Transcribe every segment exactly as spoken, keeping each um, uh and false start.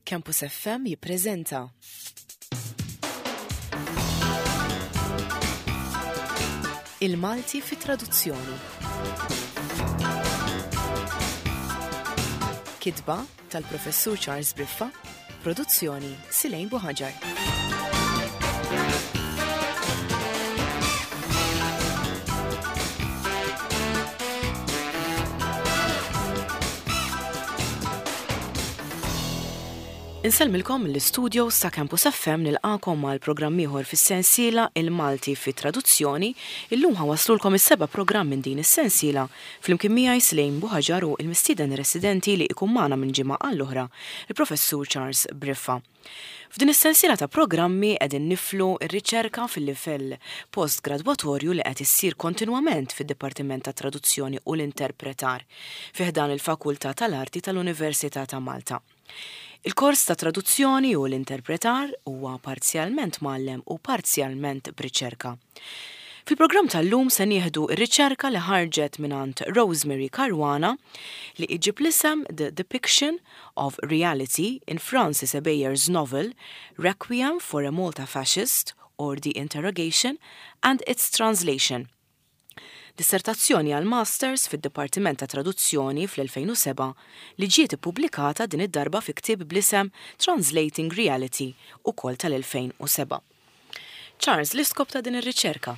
Campus F M jippreżenta Il-Malti fi Traduzzjoni. Kitba tal-Professur Charles Briffa, produzzjoni Silejn Buħaġar. Insellmilkom mill-istudios ta' Campus F M, nilqakom għal programm ieħor fis-sensiela Il-Malti fi Traduzzjoni. Illum ħa nwasslulkom is-seba' programm minn din is-sensiela flimkien miegħi Slejn Buħaġar u il-mistieden residenti li ikun magħna minn ġimgħa għall-oħra, il-Professur Charles Briffa. F'din is-sensiela ta' programmi qegħdin niflu r-riċerka fil-livell postgradwatorju li qed issir kontinwament fid-Dipartiment ta' Traduzzjoni u l-Interpretar fi ħdan il-Fakultà tal-Arti tal-Università ta' Malta. Il-kors ta' traduzzjoni u l-interpretar huwa parzjalment mgħallem u parzjalment b'riċerka. Fil-programm tal-lum se nieħdu r-riċerka li ħarġet mingħand Rosemary Caruana li iġib l-isem The Depiction of Reality in Francis Ebeyer's novel Requiem for a Malta Fascist or The Interrogation and its Translation. Dissertazzjoni għal Masters fid-Dipartiment ta' Traduzzjoni fl-elfejn u sebgħa li ġiet ippubblikata din id-darba fi ktieb bl-isem Translating Reality, ukoll tal-elfejn u sebgħa. Charles, l-iskop ta' din ir-riċerka?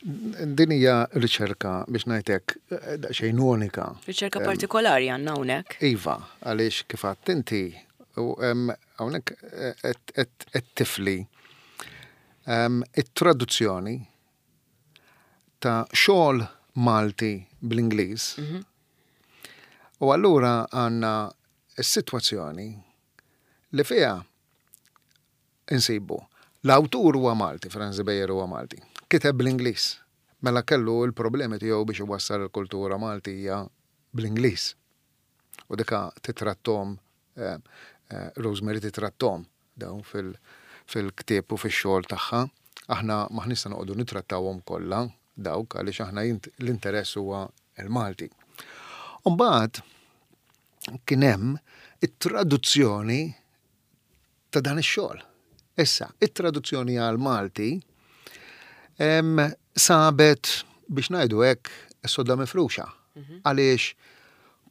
Din hija riċerka, biex ngħidlek, daqsxejn unika. Riċerka partikolari għandna hawnhekk. Iva, għaliex kif għedt inti hawnhekk qed tifli it-traduzzjoni ta' xogħol Malti bl-Ingliż. Mhm. U allura għandna s-sitwazzjoni li fiha insibu l-awtur huwa Malti, Franz Ebejer huwa Malti. Kiteb bl-Ingliż. Mela kellu il-problemi tiegħu biex iwassal il-kultura Maltija bl-Ingliż. U dika titrattahom, eh, eh, Rosemary titrattahom dawn fil-ktieb u fix-xogħol tagħha. Aħna m'aħniex se noqogħdu nitrattawhom kollha dawk għaliex aħna l-interess huwa il-Malti. Umbagħad kien hemm it-traduzzjoni ta' dan ix-xogħol. Issa, it-traduzzjoni għal Malti sabet, biex ngħidu hekk, sodda mifruxa. Mhm. Għaliex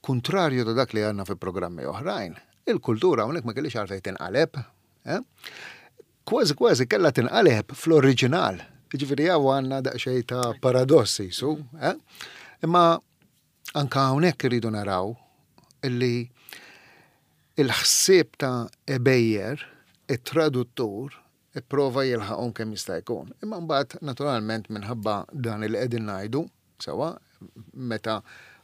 kontrarju ta' dak li għandna fi programmi oħrajn, il-kultura hawnhekk ma kellix għalfejn tinqaleb. Eh? Kważi kważi kellha tinqaleb fl-oriġinal. Ġifieri hawn għandna daqsxejn ta' paradossi su. Eh? Imma anka hawnhekk irridu naraw illi il-ħsieb ta' Ebejer, it-traduttur, ipprova jilħaqhom kemm jista' jkun. Imma mbagħad naturalment minħabba dan il qegħdin ngħidu, sewa, meta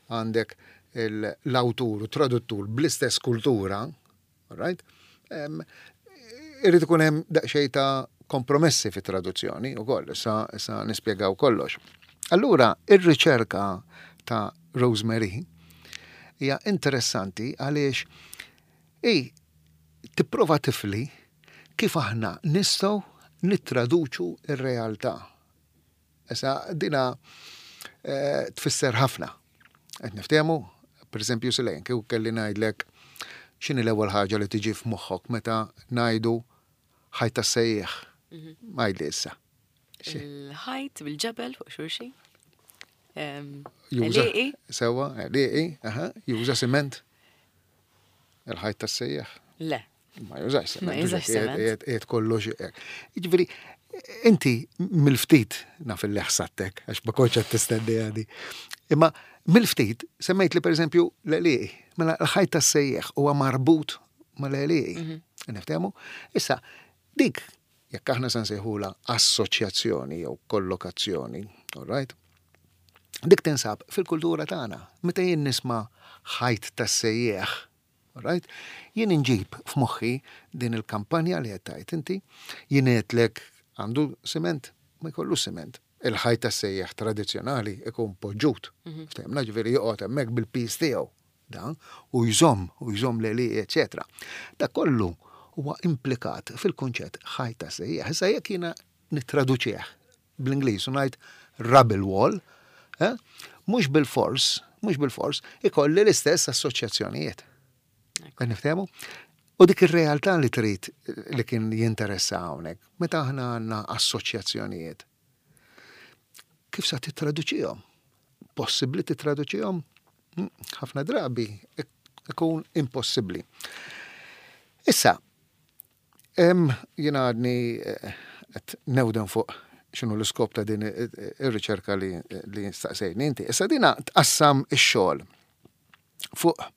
għandek l-awtur u traduttur bl-istess kultura, right? Irrid ikun hemm daqsxejn ta' kompromessi fit traduzzjoni ukoll, issa, issa nispjegaw kollox. Allura, ir-riċerka ta' Rosemary hija interessanti għaliex i tipprova tifli kif aħna nistgħu nittraduċu ir-realtà. Issa dina eh, tfisser ħafna. Qed niftehmu, per eżempju, Silejn, kieku kelli ngħidlek x'inhi l-ewwel ħaġa li tiġi f'moħħok meta ngħidu ħajt tas-sejjieħ? Mhm. Għidli issa. Il-ħajt bil-ġebel fuq xulxin. Juża. Sewa, għelieqi, aha, juża siment. Il-ħajt tas-sejjieħ. Le. Ma jużax siment. Ma jużax siment. Qiegħed kollox. Jiġifieri, inti mill-ftit naf li ħsattek, għax ma kontx qed tistenni għadi. Imma mill-ftit semmejt li, pereżempju, l-għelieqi. Mela l-ħajt tas-sejjieħ huwa marbut mal-għelieqi. Mhm. Niftehmu? Issa, dik jekk aħna se nsejħula assoċjazzjoni jew kollokazzjoni, all right? Dik tinsab fil-kultura tagħna. Meta jien nisma' ħajt tas-sejjieħ, all right? Jien inġib f'moħħi din il-kampanja li qed tgħid inti, jien għedtlek għandu siment, ma jkollu siment. Il-ħajt tas-sejjieħ tradizzjonali ikun poġġut. Mhm. Ftehimna, ġifieri joqgħod hemmhekk bil-piż tiegħu dan u jżomm u jżomm l eċetera. Da kollu huwa implikat fil-kunċett ħajt tas-sejjieħ. Issa jekk jiena nittraduċih bl-Ingliż u ngħid rubble wall, eh, mhux bil-fors, mhux bil-fors, ikolli l-istess assoċjazzjonijiet. Qed niftehmu? U dik ir-realtà li trid li kien jinteressa hawnhekk, meta aħna għandna assoċjazzjonijiet. Kif sa titraduċihom? Possibbli titraduċihom? Hm, ħafna drabi ikun impossibbli. Issa, jiena għadni eh, qed newden fuq x'inhu l-iskop ta' din ir-riċerka li, li staqsejni inti. Issa dina tqassam ix-xogħol fuq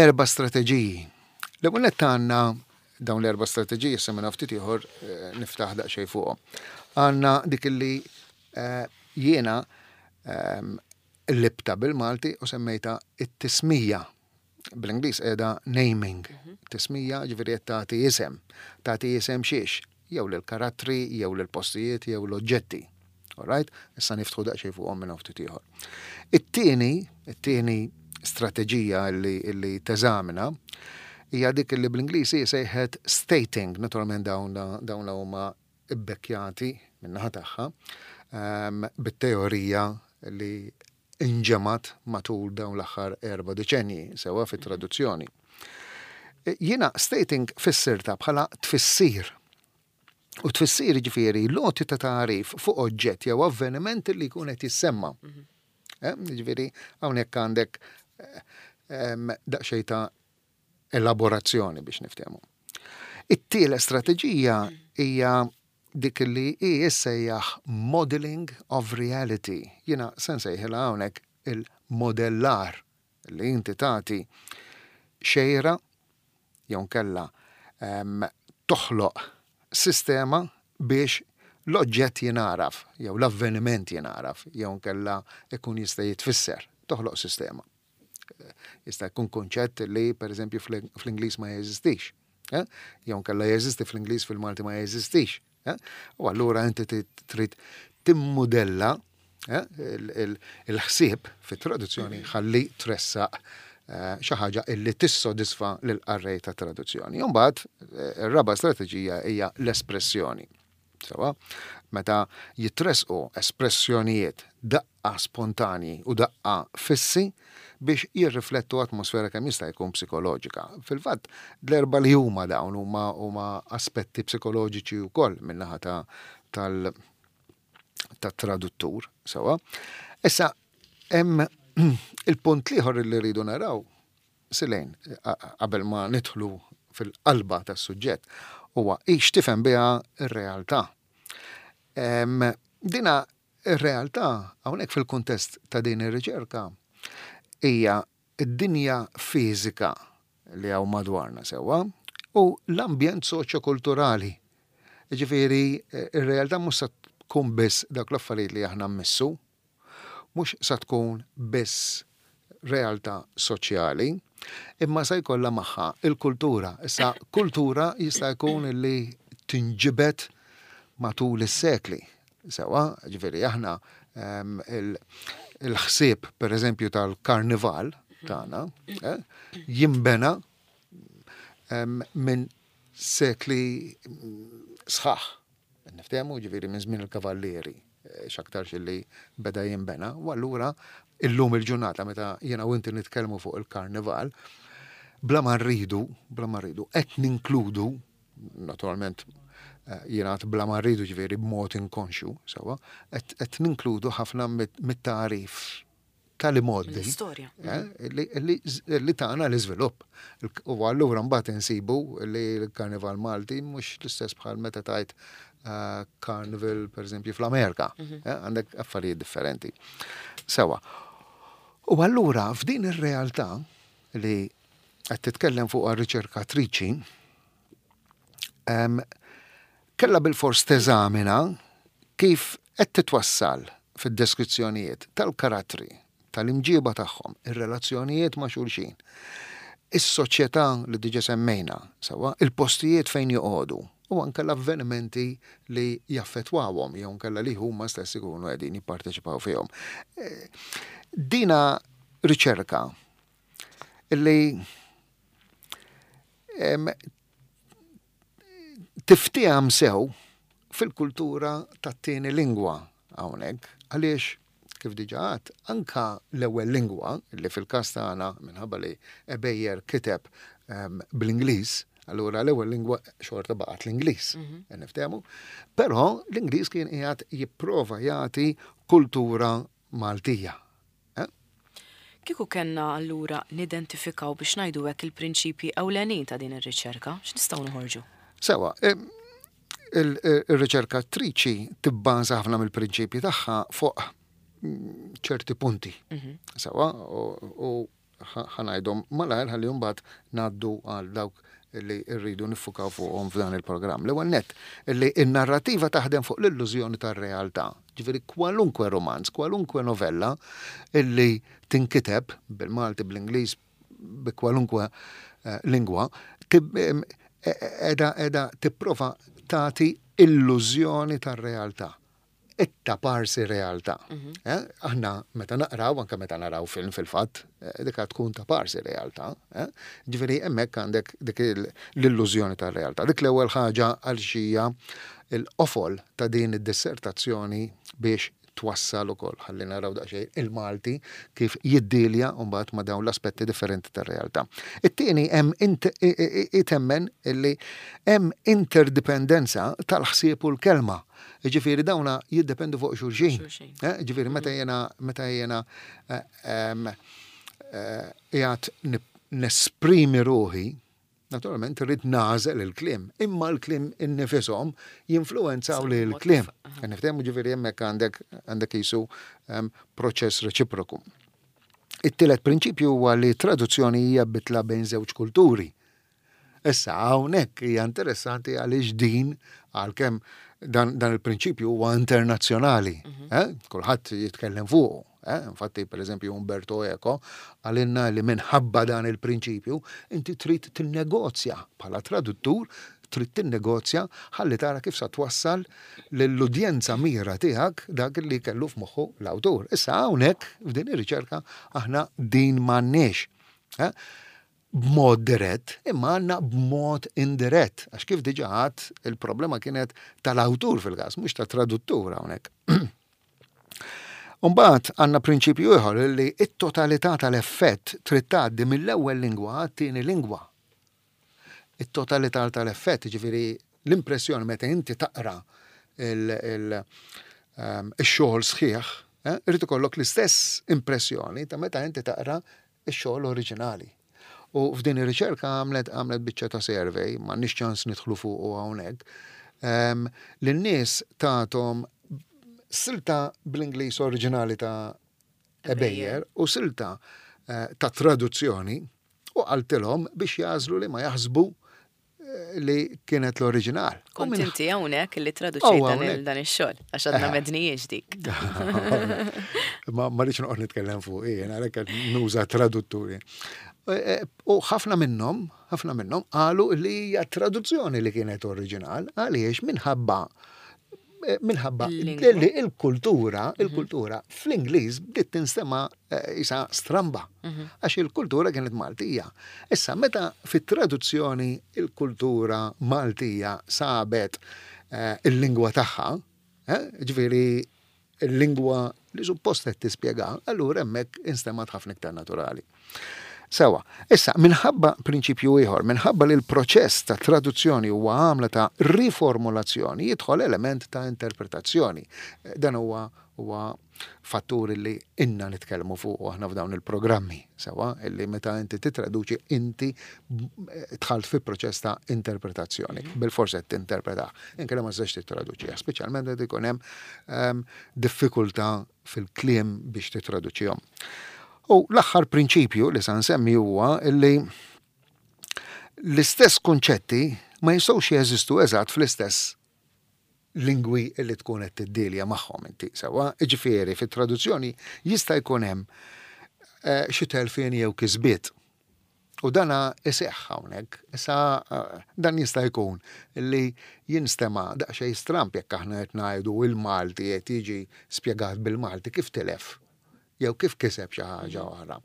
erba' strateġiji. L-ewwel nett għandna dawn l-erba' strateġiji, issa minn ftit ieħor eh, niftaħ daqsxejn fuqhom. Għandna dik li eh, jiena ehm, qlibtha bil-Malti u semmejta it-tismija. Bl-Ingliż qiegħda naming. Mhm. Tismija, ġifieri qed tagħti isem. Tagħti isem xiex? Jew lill-karattri, jew lill-postijiet, jew l-oġġetti. Alright? Issa niftħu daqsxejn fuqhom minn ftit ieħor. It-tieni, it-tieni strateġija li, li teżamina hija dik li bl-Ingliż sejħet stating, naturalment dawn dawn huma ibbekkjati min-naħa tagħha um, bit-teorija li inġemat matul dawn l-aħħar erba' deċenji sewa fit-traduzzjoni. Jiena stating fissirta bħala tfissir. U tfissir ġifieri l-għoti ta' tagħrif fuq oġġett jew avveniment li jkun qed jissemma. Mhm. Eh, ġifieri hawnhekk għandek eh, daqsxejn ta' elaborazzjoni biex niftehmu. It-tielet strateġija hija dik li hi issejjaħ modeling of reality. Jiena se nsejħilha hawnhekk il-modellar, li inti tagħti xejra jew kella um, toħloq sistema biex l-oġġett jingħaraf, jew l-avveniment jingħaraf, jew kella ikun jista' jitfisser, toħloq sistema. Jista' jkun konċett li, per eżempju, fl-Ingliż ma jeżistix. Eh? Jew kella jeżisti fl-Ingliż, fil-Malti ma jeżistix. Eh? U allura inti trid timmodella eh, il-ħsieb fit-traduzzjoni ħalli tressaq eh, xi ħaġa illi tissodisfa lil qarrej ta' traduzzjoni. Imbagħad ir-raba' strateġija hija l-espressjoni. Sewa, meta jitresqu espressjonijiet daqqa spontani u daqqa fissi biex jirriflettu atmosfera kemm jista' jkun psikoloġika. Fil-fatt, l-erba li huma dawn huma huma aspetti psikoloġiċi wkoll min-naħa ta' tal tat-traduttur, sewa. Issa, hemm il-punt l-ieħor li rridu naraw, Silejn, qabel ma nidħlu fil-qalba tas-suġġett, huwa x'tifhem biha ir-realtà. Dina ir-realtà hawnhekk fil-kuntest ta' din ir-riċerka hija id-dinja fiżika li hawn madwarna, sewwa, u l-ambjent soċjokulturali. Ġifieri, ir-realtà mhux se tkun biss dak l-affarijiet li aħna mmissu, mhux sa tkun biss realtà soċjali, imma se jkollha magħha il-kultura. Issa, kultura jista' jkun li tinġibet matul is-sekli. Sewa, ġifieri aħna il-ħsieb, per eżempju, tal-karnival tagħna eh, jimbena minn sekli sħaħ. Niftehmu, ġifieri minn żmien il-kavallieri eh, x'aktarx li beda jimbena, u allura illum il-ġurnata meta jiena u inti nitkellmu fuq il-karnival, bla ma rridu, bla ma rridu, qed ninkludu, naturalment eh, jiena bla ma rridu ġifieri b'mod inkonxju, sewa, qed ninkludu ħafna mit-tagħrif tal-imgħoddi. L-istorja. Eh, li, li tagħna l-iżvilupp. U allura mbagħad insibu li l-Karnival Malti mhux l-istess bħal meta tajt uh, Carnival, per eżempju, fl-Amerika. Mhm. Eh, għandek affarijiet differenti. Sewa. U allura f'din ir-realtà li qed titkellem fuq riċerkatriċi, kella bil-fors teżamina kif qed titwassal fid-deskrizzjonijiet tal-karattri, tal-imġiba tagħhom, ir-relazzjonijiet ma' xulxin, is-soċjetà li diġa semmejna, sewa, il-postijiet fejn joqogħdu u anke l-avvenimenti li jaffettwawhom jew nkella li huma stess ikunu qegħdin jipparteċipaw fihom. Eh, dina riċerka li tiftiham sew fil-kultura tat-tieni lingwa hawnhekk, għaliex kif diġà għedt, anka l-ewwel lingwa li fil-każ tagħna, minħabba li Ebejer kiteb ehm, bl-Ingliż, allura l-ewwel lingwa xorta baqgħet l-Ingliż, mhm. niftehmu. Però l-Ingliż kien qiegħed jipprova jagħti kultura Maltija. Eh? Kieku kellna allura nidentifikaw, biex ngħidu hekk, il-prinċipji ewlenin ta' din ir-riċerka, x'nistgħu noħorġu? Sewa, il-riċerkatriċi tibbaża ħafna mill-prinċipji tagħha fuq mm, ċerti punti. Mhm. Sewa, u ħa ngħidhom malajr ħalli mbagħad ngħaddu għal dawk li rridu niffukaw fuqhom f'dan il-programm. L-ewwel nett, li n-narrativa taħdem fuq l-illużjoni tar-realtà. Ġifieri kwalunkwe romanz, kwalunkwe novella illi tinkiteb bil-Malti, bl-Ingliż, bi kwalunkwe eh, lingwa, edha edha tipprova tagħti illużjoni tar-realtà, it-taparsi realtà. Mhm. Eh, aħna meta naqraw, anke meta naraw film fil-fatt, eh, dik tkun taparsi realtà. Eh? Ġifieri hemmhekk għandek dik l-illużjoni tar-realtà. Dik l-ewwel ħaġa għal xija il-qofol ta' din id-dissertazzjoni biex twassal ukoll ħalli naraw daqsxejn il-Malti kif jiddilja mbagħad ma' dawn l-aspetti differenti tar-realtà. It-tieni, hemm itemmen illi hemm interdipendenza tal-ħsieb u l-kelma. Ġifieri dawna jiddependu fuq xulxin. Eh, ġifieri meta jena meta jena eh, eh, qiegħed nesprimi ruħi, naturalment rrid nagħżel il-kliem, imma l-kliem innifisom jinfluenzaw li l-kliem. Niftehmu, ġifieri hemmhekk għandek għandek jisu proċess reċiproku. It-tielet prinċipju huwa li traduzzjoni hija bitla bejn żewġ kulturi. Issa hawnhekk hija interessanti għaliex din, għalkemm dan, dan il-prinċipju huwa internazzjonali, mm -hmm. eh? Kulħadd jitkellem fuqu. Eh? Infatti, per eżempju, Umberto Eco qalilna li minħabba dan il-prinċipju inti trid tinnegozja bħala traduttur, trid tinnegozja ħalli tara kif sa twassal lill-udjenza mira tiegħek dak li kellu f'moħħu l-awtur. Issa hawnhekk f'din ir-riċerka aħna din m'għandniex. Eh? B'mod dirett, imma għandna b'mod indirett. Għax kif diġà għedt, il-problema kienet tal-awtur fil-każ, mhux ta' traduttur hawnhekk. Umbagħad għandna prinċipju ieħor li it-totalità tal-effett trid tgħaddi mill-ewwel lingwa għat-tieni lingwa. It-totalità tal-effett, ġifieri l-impressjoni meta inti taqra ehm, il-xogħol sħiħ, eh, irid ikollok l-istess impressjoni ta' meta inti taqra ix-xogħol oriġinali. U f'din ir-riċerka għamlet għamlet biċċa ta' survey, m'għandniex ċans nidħlu fuq u hawnhekk, um, lin-nies tathom silta bl-Ingliż oriġinali ta' Ebejer u silta eh, ta' traduzzjoni u qaltilhom biex jagħżlu li ma jaħsbu eh, li kienet l-oriġinal. U Kont minn- inti hawnhekk li Oh, traduċejt dan il- hawnhekk. dan ix-xogħol, għax għadna m'għednihiex dik. Ma ma rridx noqgħod nitkellem fuq jien, għalhekk qed nuża tradutturi. E, e, U ħafna minnhom, ħafna minnhom qalu li hija traduzzjoni li kienet oriġinal, għaliex minħabba eh, minħabba Il-lingwa. li il-kultura, il-kultura fl-Ingliż bdiet tinstema eh, isa stramba, għax il-kultura kienet Maltija. Issa, meta fit-traduzzjoni il-kultura Maltija sabet eh, il-lingwa tagħha, eh, ġifieri il-lingwa li suppost qed tispjega, allura hemmhekk instemat ħafna iktar naturali. Sewa, issa, minħabba prinċipju ieħor, minħabba li l-proċess ta' traduzzjoni huwa għamla ta' riformulazzjoni, jidħol element ta' interpretazzjoni. Dan huwa huwa fattur li inna nitkellmu fuq aħna f'dawn il-programmi, sewa, illi meta inti titraduċi inti dħalt fi proċess ta' interpretazzjoni, bil-forsi qed tinterpreta, inkella ma tistax tittraduċiha, speċjalment meta jkun hemm ehm, diffikultà fil-kliem biex titraduċihom. U l-aħħar prinċipju li sa nsemmi huwa illi l-istess kunċetti ma jistgħux jeżistu eżatt fl-istess lingwi li tkun qed tiddilja magħhom inti sewwa. Ġifieri fit-traduzzjoni jista' jkun hemm eh, xi telfien jew kisbiet. U dana iseħħ hawnhekk. Issa eh, dan jista' jkun li jinstema' daqsxejn stramp jekk aħna qed ngħidu il-Malti qed jiġi spjegat bil-Malti, kif tilef jew kif kiseb xi ħaġa oħra.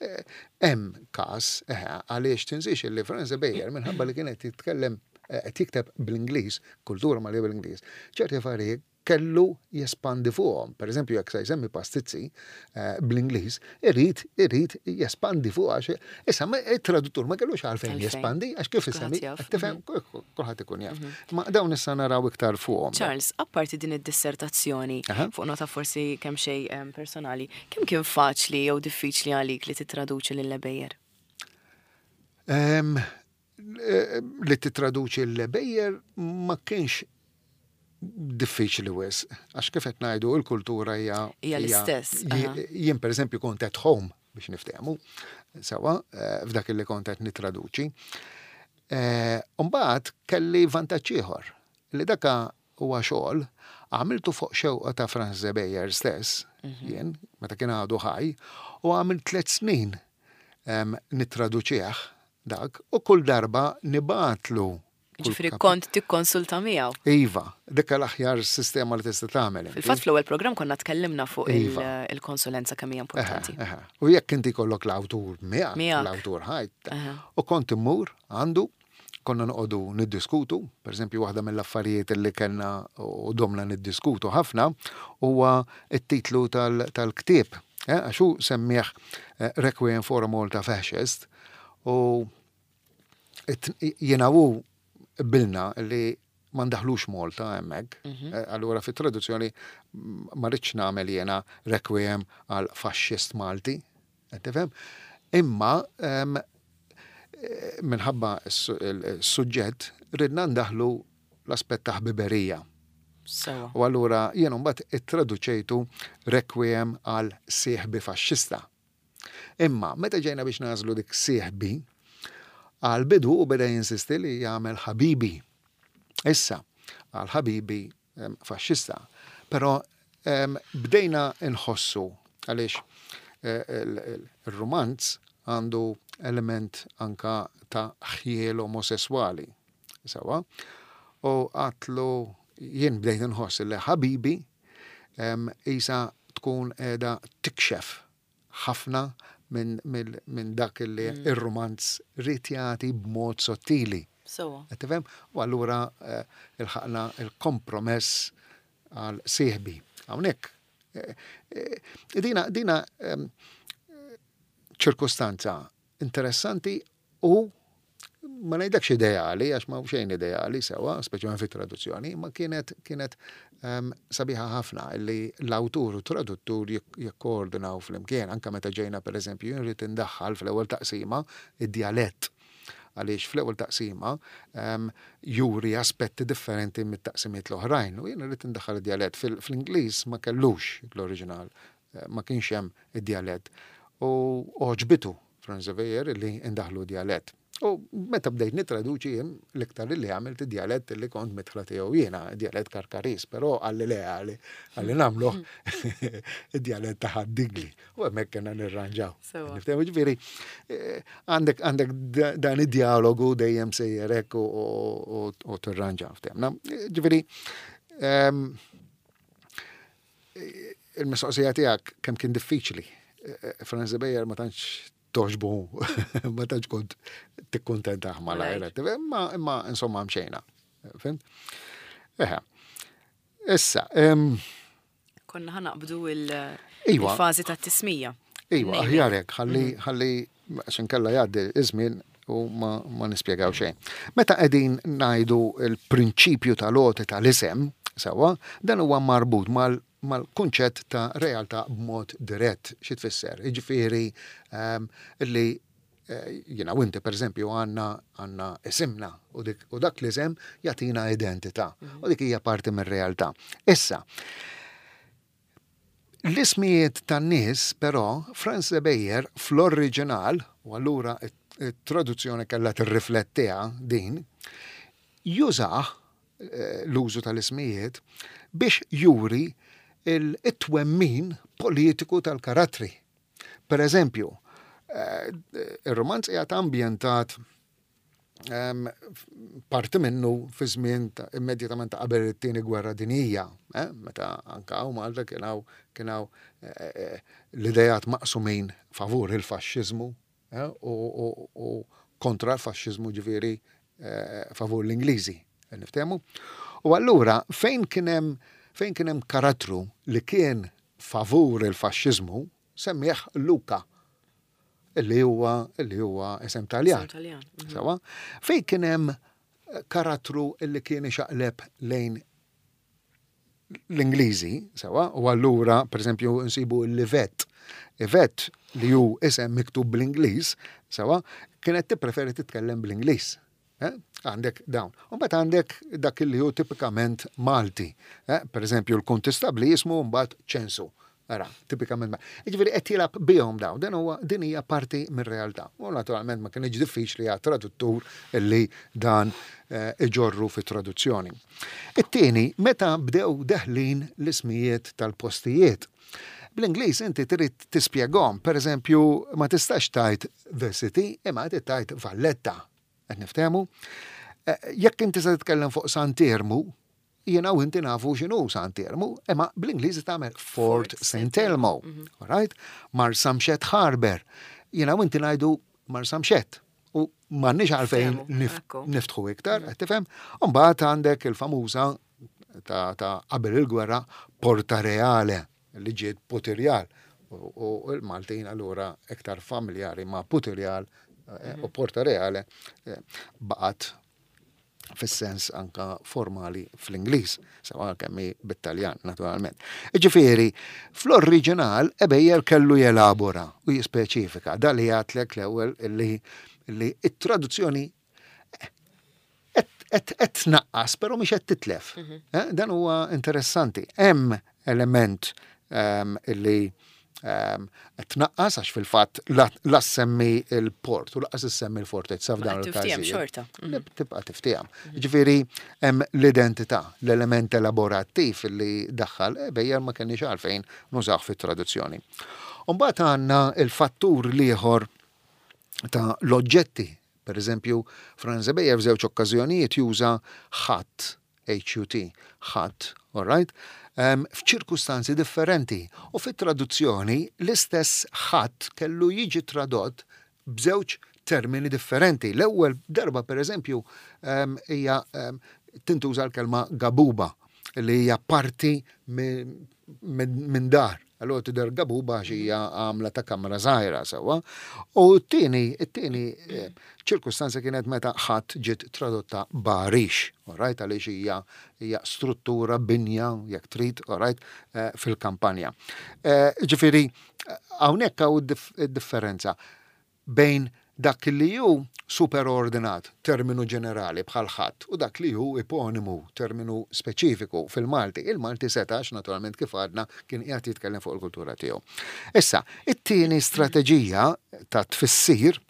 Eh, Hemm każ eh, għaliex tinsiex li Frans Ebejer, minħabba li kienet jitkellem, eh, qed jikteb bl-Ingliż, kultura Maltija bl-Ingliż, ċerti affarijiet kellu jespandi fuqhom. Per eżempju, jekk se jsemmi pastizzi eh, bl-Ingliż, irid irid jespandi fuq għax issa it-traduttur ma kellux għalfejn jespandi għax kif isemmi, tifhem, mhm. kulħadd ikun jaf. Mhm. Ma dawn issa naraw iktar fuqhom. Charles, apparti din id-dissertazzjoni, fuq nota forsi kemm xejn personali, kemm kien faċli jew diffiċli għalik li titraduċi lil Ebejer? Eh, li titraduċi l-Ebejer ma kienx diffiċli wisq, għax kif qed ngħidu, il-kultura hija Hija l-istess. Jien, pereżempju, kont at home, biex niftehmu, sewa, eh, f'dak li kont qed nitraduċi. Eh, Mbagħad kelli vantaġġ ieħor li daka huwa xogħol għamiltu fuq xewqa ta' Franz Ebejer stess, mhm. jien, meta kien għadu ħaj, u għamilt tliet snin nittraduċih dak, u kull darba nibgħatlu. Ġifieri kont tikkonsulta miegħu. Iva, dik l-aħjar sistema li tista' tagħmel. Fil-fatt fl-ewwel programm konna tkellimna fuq iva. il-konsulenza kemm hija importanti. U jekk inti kollok l-awtur miegħek, l-awtur ħaj. U kont immur għandu, konna noqogħdu niddiskutu, per eżempju, waħda mill-affarijiet li kellna u domna niddiskutu ħafna huwa t-titlu tal-ktieb. Eh, għax hu semmih eh, Requiem for a Malta Fascist u jiena u qbilna li ma ndaħlux Malta hemmhekk. Mhm. Eh, allura fit-traduzzjoni ma rridx nagħmel jiena Requiem għal faxxist Malti. Tifhem? Imma eh, minħabba s-suġġett ridna ndaħlu l-aspett ta' ħbiberija. U allura jien mbagħad ittraduċejtu Requiem għal sieħbi faxxista. Imma meta ġejna biex nagħżlu dik sieħbi, għal bidu u beda jinsisti li jagħmel ħabibi. Issa, għal ħabibi faxxista. Però bdejna nħossu għaliex eh, il-romanz għandu element anka ta' ħjiel omosessuali. Sewa. U għedtlu jien bdejt nħoss li ħabibi isa tkun edha tikxef ħafna minn min dak li mm. ir-romanz ried jagħti b'mod sottili. So. Tifhem? U allura eh, ilħaqna il-kompromess għal sieħbi. Hawnhekk eh, eh, dina dina ċirkustanza interessanti u ma ngħidlekx ideali, għax ma xejn ideali sewa, speċjalment fit-traduzzjoni, ma kienet kienet um, sabiħa ħafna li l-awtur u traduttur jikkoordinaw flimkien, anka meta ġejna, per eżempju, jien rrid indaħħal fl-ewwel taqsima id-djalett, għaliex fl-ewwel taqsima um, juri aspetti differenti mit-taqsimiet l-oħrajn u jien rrid indaħħal id-djalett. Fl-Ingliż ma kellux l-oriġinal, eh, ma kienx hemm id-djalett. U għoġbitu Franz Ebejer li indaħlu djalett. U meta bdejt nitraduċi jien, l-iktar li għamilt id-djalett li kont midħla tiegħu jiena, djalett Karkaris, però qalli le, qalli qalli nagħmlu id-djalett ta' Ħad-Dingli. U hemmhekk kena nirranġaw. Niftehmu, ġifieri, eh, għandek għandek dan id-dialogu dejjem sejjerek u tirranġa. Ftehmna. Ġifieri, ehm, il-mistoqsija tiegħek kemm kien diffiċli. Eh, eh, Franz Ebejer ma tantx togħġbu, ma tantx kont tikkuntentah malajr, imma imma insomma mxejna. Fhimt? Eħe. Issa, Konna ħa naqbdu iva. il-fażi ta' tismija. Iva, aħjar hekk, ħalli mhm. ħalli xinkella jgħaddi iż-żmien u ma, ma nispjegaw xejn. Meta qegħdin ngħidu l-prinċipju tal-għoti tal-isem, sewa, dan huwa marbut mal mal-kunċett ta' realtà b'mod dirett. Xi tfisser? Jiġifieri um, li eh, jiena u inti, per eżempju, għandna għandna isimna u, dik, u dak l-isem jagħtina identità mhm. u dik hija parti mir-realtà. Issa, l-ismijiet tan-nies però Franz Ebejer fl-oriġinal, u allura it-traduzzjoni kellha tirriflettiha din, jużah eh, l-użu tal-ismijiet biex juri il-twemmin politiku tal-karattri. Per eżempju, eh, il-romanz qiegħed ambjentat parti minnu fi żmien immedjatament qabel it-Tieni Gwerra Dinjija, eh, meta anka hawn Malta kien hawn kien hawn eh, l-idejat maqsumin favur il-faxxiżmu u kontra l-faxxiżmu, ġifieri favur l-Ingliżi. Niftehmu? U allura fejn kien hemm Fejn kien hemm karattru li kien favur il-faxxiżmu, semmih Luca, illi huwa illi huwa isem Taljan. Mhm. Sewwa? Fejn kien hemm karattru illi kien ixaqleb lejn l-Ingliżi, sewwa, u allura, per eżempju, nsibu l-Yvette. Yvette li hu isem miktub bl-Ingliż, sewwa, kienet tippreferi titkellem bl-Ingliż. Eh? Għandek dawn. U mbagħad għandek dak li hu tipikament Malti. Eh? Per eżempju, l-kontistabli jismu mbagħad Ċensu. Ara, tipikament. Jiġifieri qed jilgħab bihom dawn, dan huwa din hija parti mir-realtà. U naturalment ma kienx diffiċli għat traduttur illi dan eh, iġorru fit-traduzzjoni. It-tieni, meta bdew deħlin l-ismijiet tal-postijiet. Bl-Ingliż inti trid tispjegahom, per eżempju, ma tistax tgħid The City, imma trid tgħid Valletta. Qed niftehmu? Eh, jekk inti se titkellem fuq Sant'Iermu, jiena u inti nafu x'inhu Sant'Iermu, imma bl-Ingliż tagħmel Fort Saint Elmo. Mhm. Right? Marsamxett Harbor. Jiena u inti ngħidu Marsamxett. U m'għandniex għalfejn niftħu iktar, qed tifhem? U mbagħad għandek il-famuża ta' qabel il-gwerra Porta Reale li ġiet Putirjal. U l-Maltin allura iktar familjari ma' Putirjal eh, u Porta Reale eh, baqgħet fis-sens anka formali fl-Ingliż, sewwa kemm bit-Taljan naturalment. Ġifieri, fl-oriġinal Ebejer kellu jelabora u jispeċifika da li għedtlek l-ewwel li li it-traduzzjoni qed tnaqqas, però mhix qed titlef. Mhm. Eh, dan huwa interessanti. Hemm element ehm, illi ehm, tnaqqas għax fil-fatt la semmi il-port u lanqas issemmi l-fortezza f'dan il-każijiet. Xorta. Mhm. Tibqa' tiftiehem. Mhm. Ġifieri hemm l-identità, l-element elaborattiv li daħħal Ebejer ma kenniex għalfejn nużaw fit-traduzzjoni. Mbagħad għandna il-fattur l-ieħor ta' l-oġġetti. Per eżempju, Franz Ebejer f'żewġ okkażjonijiet juża hut, H U T, hut, all right? Um, f'ċirkustanzi differenti. U fit-traduzzjoni l-istess hut kellu jiġi tradott b'żewġ termini differenti. L-ewwel darba, per eżempju, hija um, tintuża l-kelma gabuba, li hija parti minn dar. Allora tidher gabuba għax hija għamla ta' kamra żgħira sewwa. U t-tieni, it-tieni eh, ċirkustanza kienet meta hut ġiet tradotta b'għarix, right, għaliex hija hija struttura binja, jekk trid, right, eh, fil-kampanja. Eh, ġifieri, hawnhekk hawn differenza bejn dak li hu superordinat, terminu ġenerali bħal hut, u dak li hu eponimu, terminu speċifiku fil-Malti. Il-Malti setax, naturalment, kif għadna, kien qiegħed jitkellem fuq il-kultura tiegħu. Issa, it-tieni strateġija ta' tfissir,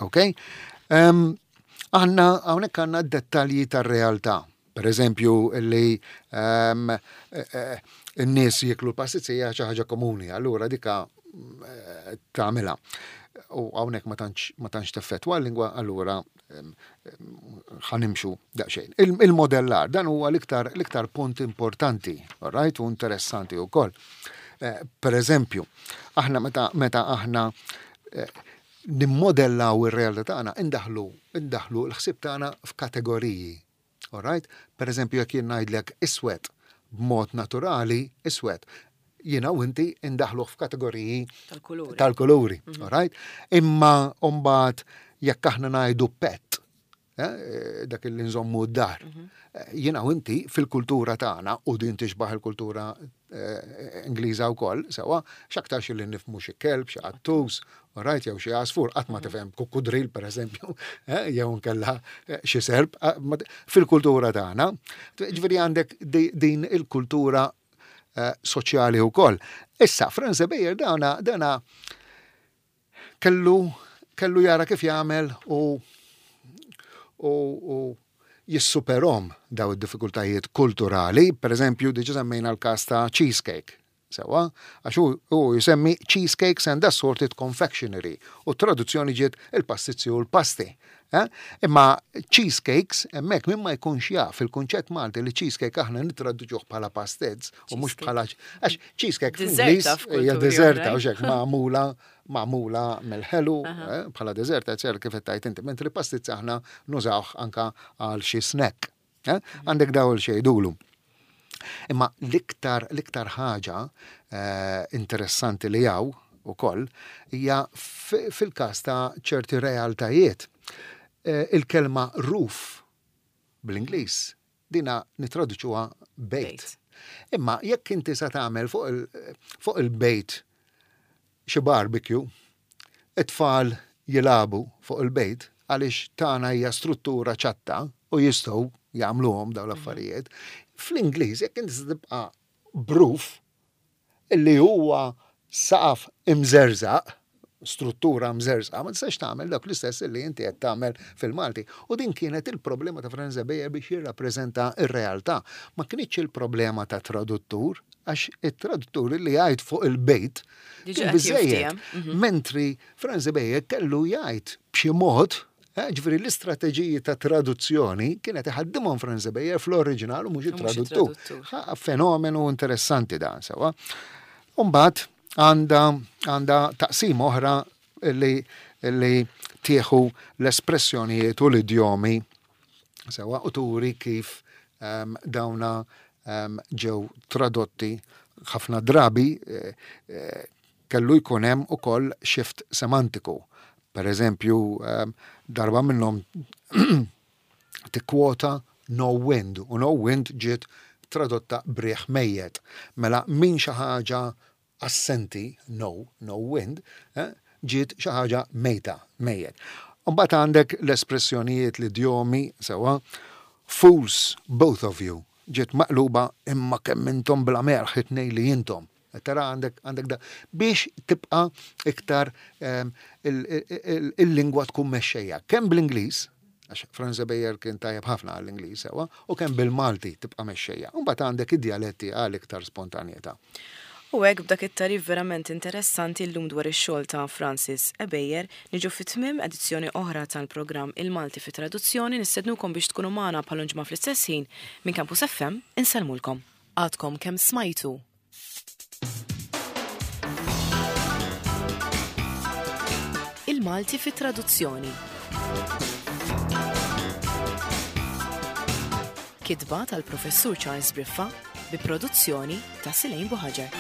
ok? Għandna, hawnhekk għandna dettalji tar-realtà. Per eżempju, li um, n-nies jiklu l-pastizija xi ħaġa komuni, allura dika eh, tagħmilha. U hawnhekk ma tantx ma tantx teffettwa l-lingwa, allura ħa nimxu daqsxejn. Il-modellar, dan huwa l-iktar l-iktar punt importanti, right, u interessanti wkoll. Eh, per eżempju, aħna meta meta aħna eh, nimmodellaw ir-realtà tagħna, indaħlu indaħlu l-ħsieb tagħna f'kategoriji. All right? Per eżempju, jekk jien ngħidlek iswed, b'mod naturali iswed, jiena u inti indaħlu f'kategoriji tal-kuluri. Tal-kuluri, mm -hmm. right? Imma mbagħad jekk aħna ngħidu pet, eh, dak li nżommu d-dar. Mm -hmm. Jiena u inti fil-kultura tagħna, u din tixbaħ il-kultura eh, Ingliża wkoll, sewwa, x'aktarx li nifhmu xi kelb, xi qattus, right, jew xi għasfur, qatt ma tifhem kukkudril, pereżempju, eh, jew nkella xi serp, fil-kultura tagħna. Ġifieri għandek din il-kultura soċjali wkoll. Issa, Franz Ebejer dana dana kellu kellu jara kif jagħmel u u, u jissuperahom daw id-diffikultajiet kulturali. Per eżempju, diġa semmejna l-kas ta' cheesecake. Sewwa, għax hu jisemmi "cheesecakes and assorted confectionery" u traduzzjoni ġiet il-pastizzi u l-pasti. Eh? Imma cheesecakes, hemmhekk min ma jkunx jaf il-kunċett Malti li cheesecake aħna nittraduċuh bħala pastizz u mhux bħala, għax cheesecake fl-Ingliż hija deżerta u xek magħmula magħmula mill-ħelu eh, bħala deżerta, ċer kif qed inti, mentri pastizz aħna nużawh anka għal xi snack. Eh? Għandek dawl xejdulu. Imma l-iktar l-iktar ħaġa eh, interessanti li hawn ukoll hija fil-każ ta' ċerti realtajiet. Eh, il-kelma "roof" bl-Ingliż dina nitraduċuha "bejt". Imma jekk inti sa tagħmel fuq il-bejt xi barbecue, it-tfal jilagħbu fuq il-bejt għaliex tagħna hija struttura ċatta u jistgħu jagħmluhom dawn l-affarijiet. Fl-Ingliż jekk inti tibqa' b' "roof" illi huwa saqaf imżerżaq, struttura mżerżqa, ma tistax tagħmel dak l-istess li inti qed tagħmel fil-Malti. U din kienet il-problema ta' Franz Ebejer biex jirrappreżenta ir-realtà. Ma kienx il-problema ta' traduttur, għax it-traduttur li jgħid fuq il-bejt kien biżejjed. Mhm. Mentri Franz Ebejer kellu jgħid b'xi mod eh, Ġifieri l-istrateġiji ta' traduzzjoni kienet iħaddimhom Franz Ebejer fl-oriġinal u mhux it-traduttur. Fenomenu interessanti dan sewa. Umbagħad għandha għandha taqsim oħra li li tieħu l-espressjonijiet u l-idjomi sewa u turi kif um, dawna um, ġew tradotti. Ħafna drabi eh, eh, kellu jkun hemm ukoll shift semantiku. Per eżempju, um, darba minnhom tikkwota "no wind" u "no wind" ġiet tradotta "b'riħ mejjet". Mela min xi ħaġa assenti, no, no wind, eh, ġiet xi ħaġa mejta, mejjet. Mbagħad għandek l-espressjonijiet, l-idjomi, sewa, "fools, both of you", ġiet maqluba "imma kemm intom bla merħ it-tnejn li intom". Tara għandek għandek da biex tibqa' iktar ehm, il-lingwa tkun mexxejja. Kemm bl-Ingliż, għax Franz Ebejer kien tajjeb ħafna għall-Ingliż sewa, u kemm bil-Malti tibqa' mexxejja. Mbagħad għandek id-dialetti għal iktar spontanjetà. U hekk, b'dak it-tagħrif verament interessanti llum dwar ix-xogħol ta' Francis Ebejer, niġu fi tmiem edizzjoni oħra tal-programm Il-Malti fi Traduzzjoni. Nistednukom biex tkunu magħna bħal ġimgħa fl-istess ħin. Minn Campus F M insellmulkom. Għadkom kemm smajtu Il-Malti fi Traduzzjoni. Kitba tal-Professur Charles Briffa bi produzzjoni ta' Silejn Buħaġar.